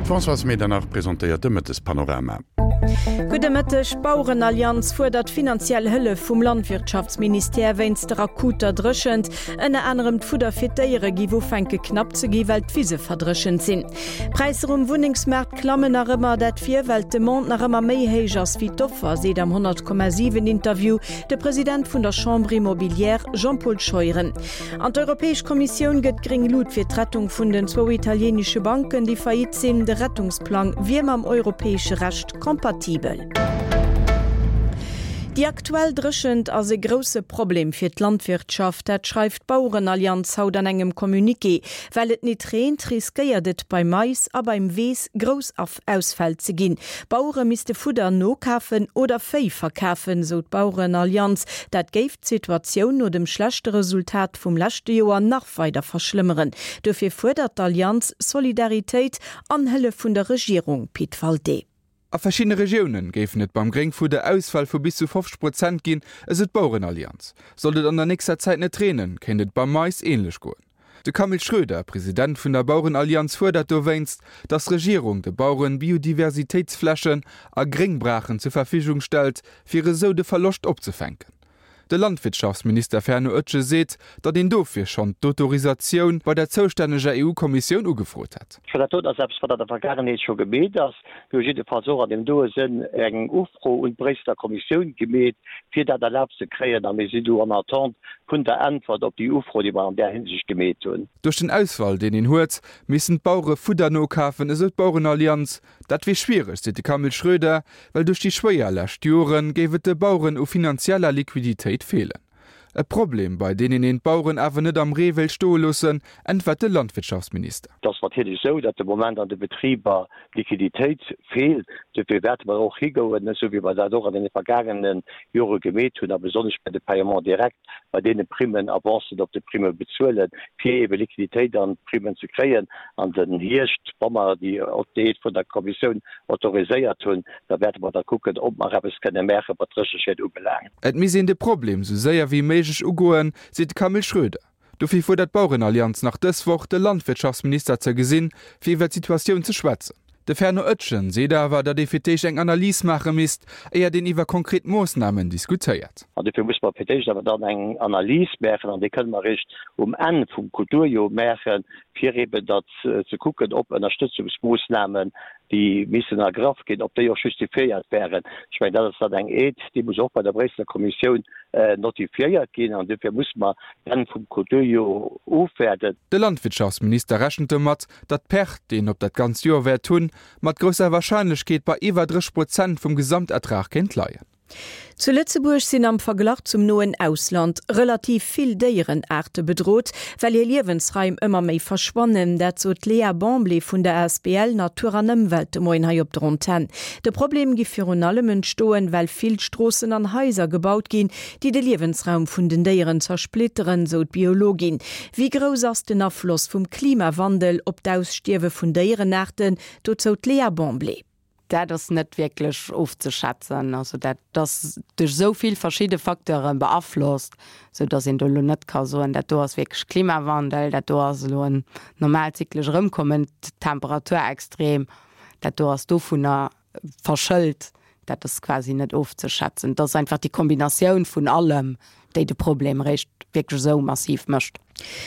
D'Françoise Medernach presentéiert de Mëttespanorama. Gudde Mëtteg, D'Bauerenallianz fuerdert finanziell Hëllef vum Landwirtschaftsministère wéinst der akuter Dréchent. Ënner anerem d'Fudder fir d'Déiere giff ufänke knapp ze gi well d'Wise verdréchent sinn. D'Präisser um Wunnengsmaart klammen nach ëmmer, dat wier well d'Demande nach ëmmer méi héich ass wéi d'Offer, seet am 100,7 Interview de President vun der Chambre Immobilière Jean-Paul Scheuren. An d'Europäesch Kommissioun gëtt gréng Lut fir d'Rettung vun den zwou italienesche Banken, déi faillite sinn. De Rettungsplang wier mam europäesche Recht kompatibel. Déi aktuell Dréchent ass e grousse Problem fir d'Landwirtschaft. Dat schreift d'Bauerenallianz haut an engem Communiqué. Well et nit reent, riskéiert et beim Mais a beim Weess grouss Ausfäll ze ginn. Bauere misste Fudder nokafen oder Véi verkafen, sou d'Bauerenallianz. Dat géif d'Situatioun no dem schlechte Resultat vum leschte Joer nach weider verschlëmmeren. Dofir fuerdert d'Allianz Solidaritéit an Hëllef vun der Regierung. Pit Walté. A verschiddene Regioune géifen et beim Gréngfudder Ausfäll vu bis zu 50 Prozent ginn, esou d'Bauerenallianz. Sollt et an der nächster Zäit net reenen, kéint et beim Mais änlech goen. De Camille Schroeder, President vun der Bauerenallianz fuerdert dowéinst, datt d'Regierung de Baueren Biodiversitéitsflächen a Gréngbraachen zur Verfügung stellt, fir esou de Verloscht opzefänken. De Landwirtschaftsminister Fernand Oetsch seet, datt een dofir schonn d'Autorisatioun bei der zoustänneger EU-Kommissioun ugefrot hätt. Dat doten ass eppes, wat an der Vergaangenheet scho gemeet ass. Mir hu jiddefalls och an deem doe Sënn eng Ufro un d'Bréisseler Kommissioun gemeet, fir dat erlaabt ze kréien, a mir sinn do en attente vun der Äntwert op déi Ufro, déi mer an där Hinsicht gemeet hunn. Duerch den Ausfall, deen een huet, missten d'Bauere Fudder nokafen, esou d'Bauerenallianz. Dat wier schwiereg, seet de Camille Schroeder, well duerch déi schwéier lescht Jore géif et de Baueren u finanzieller Liquiditéit feelen. E Problem, bei deenen een d'Baueren awer net am Ree wéilt stoe loossen, äntwert de Landwirtschaftsminister. Et ass natierlech esou, datt de Moment an de Betriber d'Liquiditéit feelt. Dofir wäerte mer och higouen, esou wéi mer dat och an deene vergaangene Jore gemeet hunn, a besonnesch bei de Paiements directs, bei deene Primmen, Avancen op de Primme bezuelen, fir eebe Liquiditéit an d'Primmen ze kréien. An den Hierscht, wa mer déi Aide vun der Kommissioun autoriséiert hunn, da wäerte mer da kucken, ob mer eppes kënne maachen, wat d'Drécheschied ubelaangt. Et misst een de Problem sou séier wéi méiglech ugoen, seet de Camille Schroeder. Dofir fuerdert d'Bauerenallianz nach dës Woch, de Landwirtschaftsminister ze gesinn, fir iwwer d'Situatioun ze schwätzen. De Fernand Oetjen seet awer, datt ee fir d'éischt eng Analys maache misst, éiert een iwwer konkret Moossnamen diskutéiert. An dofir musse mer fir d'éischt awer dann eng Analys maachen, an déi kënne mer eréischt um Enn vum Kulturjoer maachen, fir eeben datt ze kucken, ob Ënnerstëtzungsmoossnamen, déi missen ergraff ginn, ob déi och justifiéiert wären. Ech mengen, dat ass dann eng Aide, déi muss och bei der Bréisseler Kommissioun notifiéiert ginn, an dofir musse mer d'Enn vum Kulturjoer ofwaarden. De Landwirtschaftsminister rechent domat, datt d'Perte, déi een op dat ganzt Joer wäert hunn, mat grousser Warscheinlechkeet bei iwwer 30 Prozent vum Gesamtertrag kéint leien. Zu Lëtzebuerg sinn am Verglach zum noen Ausland relativ vill Déierenaarte bedrot, well hir Liewensraim ëmmer méi verschwannen. Dat sot d'Léa Bamblé vun der asbl Natur an Ëmwelt de Moien hei op der Antenn. De Problem giff virun allem entstoen, well vill Stroossen an Haiser gebaut ginn, déi de Liewensraum vun den Déieren zersplitteren, sou d'Biologin. Wéi grouss ass den Afloss vum Klimawandel op d'Ausstierwe vun Déierenaarten? Dozou d'Léa Bamblé. Dat ass net wierklech ofzeschätzen. Also dat ass duerch esou vill verschidde Facteure beaflosst, esou datt een do elo net ka soen, dat do ass wierklech Klimawandel, dat do ass elo en normaalt zyklesch Erëmkommen, Temperaturextrem, dat do ass dovunner verschëlt. Dat ass quasi net ofzeschätzen. Et ass einfach déi Kombinatioun vun allem, déi de Problem eréischt wierklech esou massiv mécht.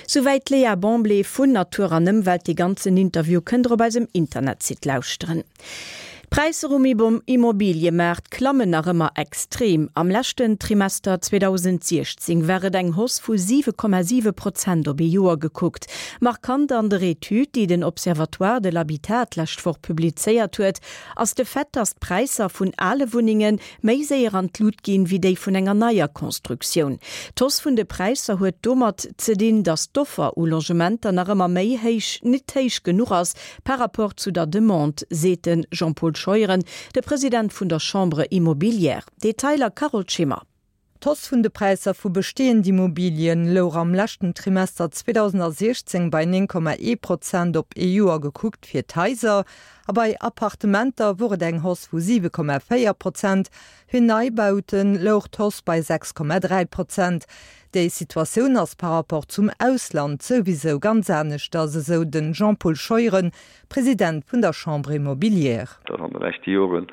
Souwäit d'Léa Bamblé vun Natur an Ëmwelt. Dee ganzen Interview kënnt der op eisem Internetsite lauschteren. D'Präisser um Immobiliëmaart klammen nach ëmmer extrem. Am leschten Trimester 2016 war et eng Hausse vu 7,7 Prozent op ee Joer gekuckt. Markant an der Etüd, déi den Observatoire de l'Habitat d'lescht Woch publizéiert huet, ass de Fait, datt d'Präisser vun ale Wunnenge méi séier an d'Lut ginn, wéi déi vun enger neier Constructioun. D'Hausse vun de Präisser huet domat ze dinn, datt d'Offer u Logementer nach ëmmer méi héich, nit héich genuch ass par rapport zu der Demande, seet de Jean-Paul Scheuren, de President vun der Chambre immobilière. Detailer Carole Schimmer. D'Hausse vun de Präisser vu bestehend Immobilien louch am leschten Trimester 2016 bei 9,1 Prozent op ee Joer gekuckt fir d'Haiser a bei Appartementer wor et eng Hausse vu 7,4 Prozent. Fir Neibaute louch d'Hausse bei 6,3 Prozent. Déi Situatioun ass par rapport zum Ausland souwisou ganz aneschters, esou den Jean-Paul Scheuren, President vun der Chambre immobilière. Datt an de leschte Joren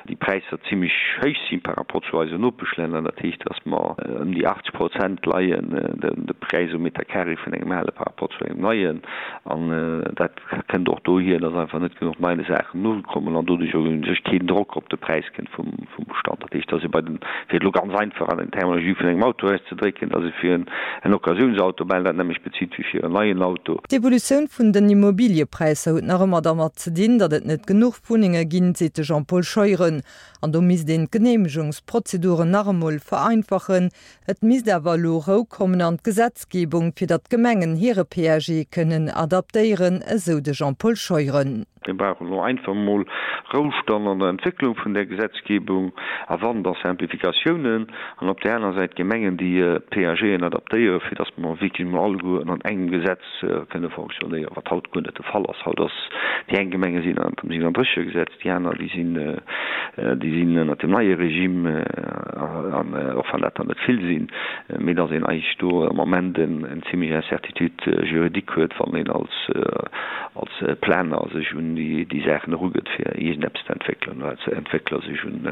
déi Präisser zimlech héich si par rapport zu eisen Nopeschlänner. Dat heescht, datt mer ëm déi 80 Prozent leien, de Präis um Meter carré vun engem ale par rapport zu engem neien. An dat kënnt och dohier, datt einfach net genuch nei Saachen nokommen an doduerch och u sech keen Drock op de Präis kënnt vum Bestand. Dat heescht, datt ee bei den, fir et elo ganz einfach an den Terminologie vun engem Auto auszedrécken, datt ee fir en Occasiounsauto bal dat nämmlecht bezilt wéi fir en neien Auto. D'Evolutioun vun den Immobiliëpräisser huet nach ëmmer dermat ze dinn, datt et net genuch Wunnenge ginn, seet de Jean-Paul Scheuren. An do misst een d'Geneemegungsprozeduren nach emol vereinfachen. Et misst awer elo Rou kommen an d'Gesetzgebung, fir datt d'Gemengen hire PAG kënnen adaptéieren, esou de Jean-Paul Scheuren. Mir brauchen elo einfach emol Roustand an der Entwécklung vun där Gesetzgebung a wann, da Simplificatiounen an op där aner Säit d'Gemengen, déi d'PAGen adaptéieren, fir datt mer wierklech emol alleguer ënnert engem Gesetz kënne fonctionnéieren, wat haut guer net de Fall ass. Haut ass, déi eng Gemenge sinn ënnert dem 37er-Gesetz, déi aner, déi sinn, déi sinn ënnert dem neie Regime, an och wann dat der net vill sinn, mee datt een eigentlech do am Moment eng zimlech Incertitude juridique huet, wann een als als Planer sech un déi Saachen erugëtt, fir iergendeppes ze entwéckelen, oder als Entwéckler sech un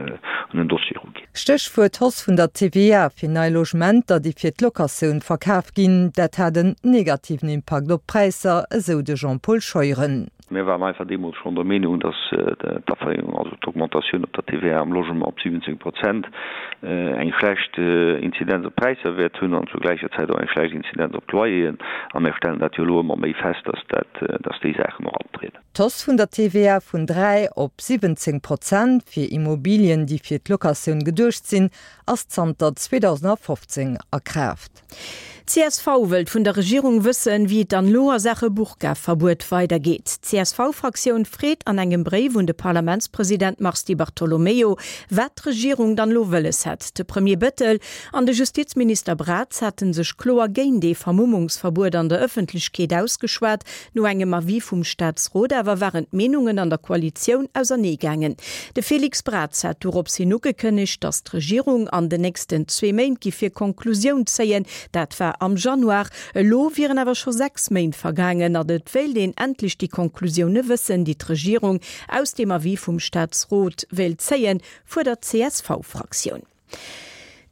en Dossier eruginn. Stéchwuert Hausse vun der TVA fir nei Logementer, déi fir d'Locatioun verkaf ginn. Dat hat en negativen Impakt op d'Präisser, esou de Jean-Paul Scheuren. Mir waren einfach deemools schonn der Meenung, dass d'Aferéierung, also d'Augmentatioun op der TVA am Logement op 17 Prozent, eng schlecht Inzidenz op d'Präisser wäert hunn an zur gläicher Zäit och eng schlecht Inzidenz op d'Loyeren. A mir stellen dat jo elo ëmmer méi fest, dass dat, dass déi Saachen och antrieden. D'Hausse vun der TVA vun 3 op 17 Prozent fir Immobilien, déi fir d'Locatioun geduecht sinn, ass zanter 2015 a Kraaft. Csv wëllt vun der Regierung wëssen, wéi et dann elo a Saache Burka-Verbuet weidergeet. D'CSV-Fraktioun freet an engem Bréif un de Parlamentspresident Mars Di Bartolomeo, wat d'Regierung dann elo wëlles hätt. De Premier Bettel an de Justizminister Braz hate sech kloer géint ee Vermummungsverbuet an der Ëffentlechkeet ausgeschwat. No engem Avis vum Staatsrot awer waren d'Meenungen an der Koalitioun ausernee gaangen. De Félix Braz hat dorops hin ugekënnegt, datt d'Regierung an den nächsten zwee Méint giff hir Konklusioun zéien. Dat war am Januar. Elo wieren awer scho 6 Méint vergaangen an et wéilt een endlech déi Konklusioune wëssen, déi d'Regierung aus deem Avis vum Staatsrot wéilt zéien, fuerdert d'CSV-Fraktioun.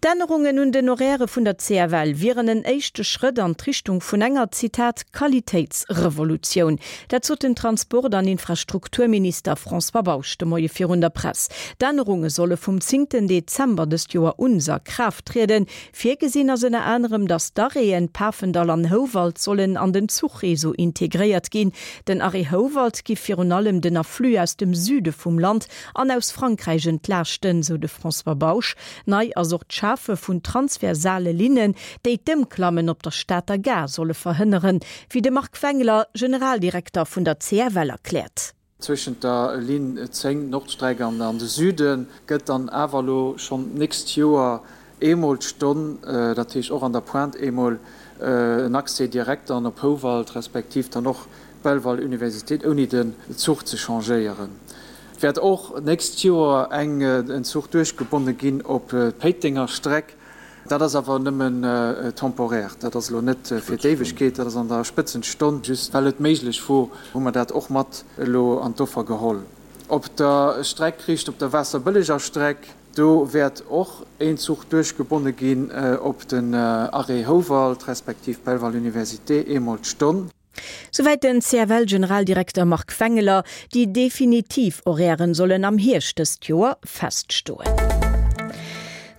D'Ännerungen un den Horairë vun der CFL wieren en éischte Schrëtt an d'Richtung vun enger, Zitat, Qualitéitsrevolutioun. Dat sot den Transport an Infrastrukturminister François Bausch de Moie virun der Press. D'Ännerunge solle vum zéngten Dezember dëst Joer un a Kraaft trieden. Virgesinn ass ënner anerem, datt d'Arrêten Pafendall an Houwald sollen an den Zuchreseau integréiert ginn. Den Arrêt Houwald giff virun allem den Afflux aus dem Süde vum Land an aus Frankräich entlaaschten, sou de François Bausch. Nei ass och d'Schafe vun transversale Linnen, déi d'Ëmklammen op der Stater Gare solle verhënneren, wéi de Marc Wengler, Generaldirekter vun der CFL erkläert. Zwëschent der Linn 10, Nordstreck, an de Süde gëtt dann awer elo schonn d'nächst Joer eemol d'Stonn, dat heescht och an der Pointe eemol en Accès direct dann op Houwald, respektiv dann och Belval Universitéit, ouni den Zuch ze changéieren. Et wäert och d'nächst Joer eng en Zuch duerchgebonne ginn op d'Péitenger Streck. Dat ass awer nëmmen temporaire, dat ass elo net fir d'Éiwegkeet, dat ass an der Spëtzenstonn. Just well et méiglech wor, hu mer dat och mat elo an d'Offer geholl. Op der Streck riicht op der Waasserbëlleger Streck, do wäert och een Zuch duerchgebonne ginn op den Arrêt Houwald respektiv Belval Université, eemol d'Stonn. Souwäit den CFL-Generaldirekter Marc Wengeler. Déi definitiv Horairen sollen am Hierscht dëst Joer feststoen.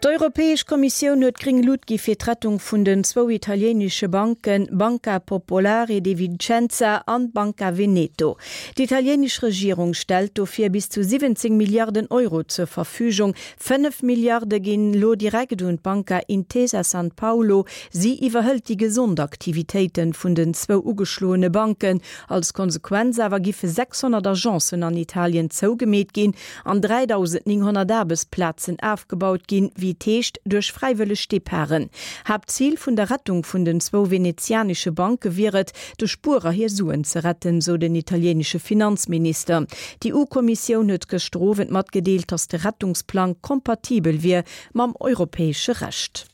D'Europäesch Kommissioun huet gréng Lut gi fir d'Rettung vun den zwou italiéinesche Banken Banca Popolare di Vicenza an Banca Veneto. D'italiéinesch Regierung stellt dofir bis zu 17 Milliarden Euro zur Verfügung. 5 Milliarde ginn elo direkt un d'Banca Intesa Sanpaolo. Si iwwerhëlt déi gesond Aktivitéite vun den zwou ugeschloene Banken. Als Konsequenz awer giffe 600 Agencen an Italien zougemeet ginn an 3.900 Aarbechtsplazen afgebaut ginn, wéi et heescht, duerch fräiwëlleg Departen. Haaptzil vun der Rettung vun den zwou venezianesche Banke wier et, de Spuerer hir Suen ze retten, sou den italiéinesche Finanzminister. D'EU-Kommissioun huet gëschter Owend matgedeelt, datt de Rettungsplang kompatibel wier mam europäesche Recht.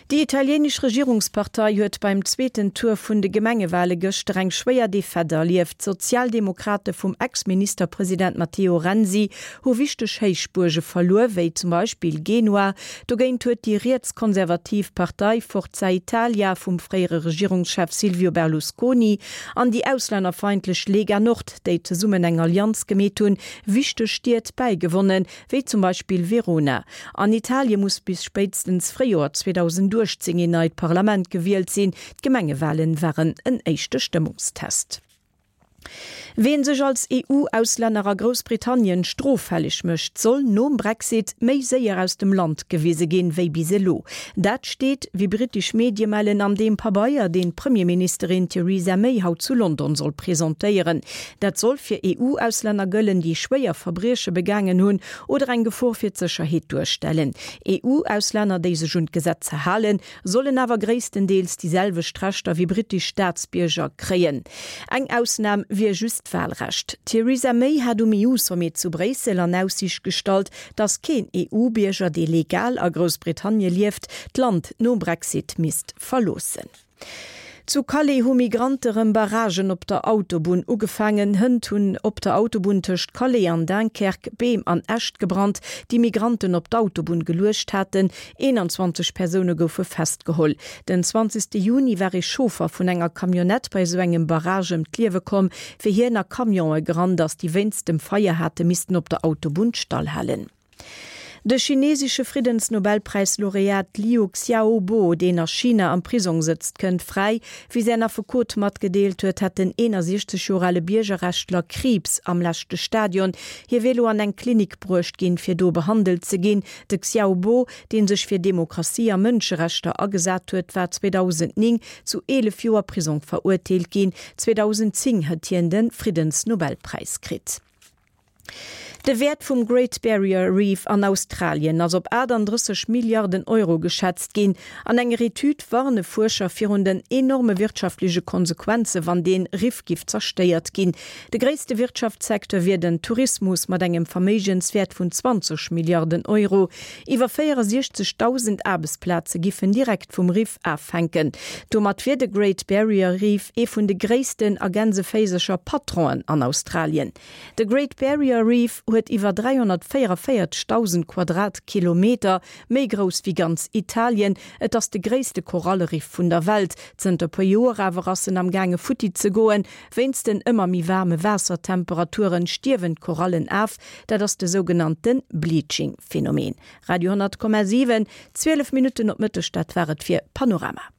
Déi italienesch Regierungspartei huet beim zweeten Tour vun de Gemengewale gëschter eng schwéier Defaite erlieft. D'Sozialdemokrate vum Ex-Ministerpresident Matteo Renzi hu wichteg Héichbuerge verluer, wéi zum Beispill Genua. Dogéint huet déi rietskonservativ Partei Forza Italia vum fréiere Regierungschef Silvio Berlusconi an déi auslännerfeindlech Lega Nord, déi zesummen eng Allianz gemeet hunn, wichteg Stied bäigewonnen. wéi zum Beispill Verona. An Italie muss bis spéitstens Fréijoer 2018 een neit Parlament gewielt sinn. D'Gemengewalen waren en éischte Stëmmungstest. Ween sech als EU-Auslänner a Groussbritannien stroffälleg mécht, soll nom Brexit méi séier aus dem Land gewise ginn, wéi bis elo. Dat steet, wéi brittesch Medie mellen, an deem Pabeier, deen d'Premierministerin Theresa May haut zu London soll presentéieren. Dat soll fir EU-Auslänner gëllen, déi schwéier Verbrieche begaangen hunn oder eng Gefor fir d'Sécherheet duerstellen. EU-Auslänner, déi sech un d'Gesetzer halen, sollen awer gréisstendeels déi selwecht Rechter wéi brittesch Staatsbierger kréien. Eng Ausnam wier just d'Walrecht. D'Theresa May hat um EU-Sommet zu Bréissel an Aussiicht gestallt, datt keen EU-Bierger, dee legal a Groussbritannie lieft, d'Land nom Brexit misst verloossen. Zu Calais hu Migrante rëm Barragen op der Autobunn ugefaangen. Hënt hunn op der Autobunn tëscht Calais an Dunkerque Beem an Äscht gebrannt, déi Migranten op d'Autobunn geluecht haten. 21 Persoune goufe festgeholl. Den 20 Juni war ee Chauffer vun enger Camionnette bei esou engem Barrage ëm d'Liewe komm, wéi hien a Camionë gerannt ass, déi wéinst dem Feier hate missten op der Autobunn stallhalen. De chinesesche Friddensnobelpräis-Laureat Liu Xiaobo, deen a China am Prisong sëtzt, kënnt fräi. Wéi säin Affekot matgedeelt huet, hätt den 61 Joer ale Biergerrechtler Kriibs am leschte Stadion. Hie wier elo an eng Klinik bruecht ginn, fir do behandelt ze ginn. De Xiaobo, dee sech fir Demokratie a Mënscherechter agesat huet, war 2009 zu 11 Joer Prisong verurteelt ginn. 2010 huet hien de Friddensnobelpräis kritt. De Wäert vum Great Barrier Reef an Australien ass op 38 Milliarden Euro geschätzt ginn. An enger Etüd warne Fuerscher virun den enorme wirtschaftleche Konsequenze wann dee Riff giff zerstéiert ginn. De gréisste Wirtschaftssecteur wier den Tourismus mat engem Verméigenswäert vun 20 Milliarden Euro. Iwwer 64.000 Aarbechtsplaze giffen direkt vum Riff afhänken. Domat wier de Great Barrier Reef ee vun de gréissten a gänseféisercher Patronen an Australien. De Great Barrier Reef huet iwwer 344.000 Quadratkilometer, méi grouss wéi ganz Italien. Et ass de gréisste Koralleriff vun der Welt. Zënter puer Joer awer ass en am gaange futti ze goen. Wéinst den ëmmer méi waarme Waassertemperaturen stierwen d'Korallen af. Dat ass de sougenannte Bleaching-Phänomen. Radio 10,7, 12 Minutten op Mëtteg, dat war et fir Panorama.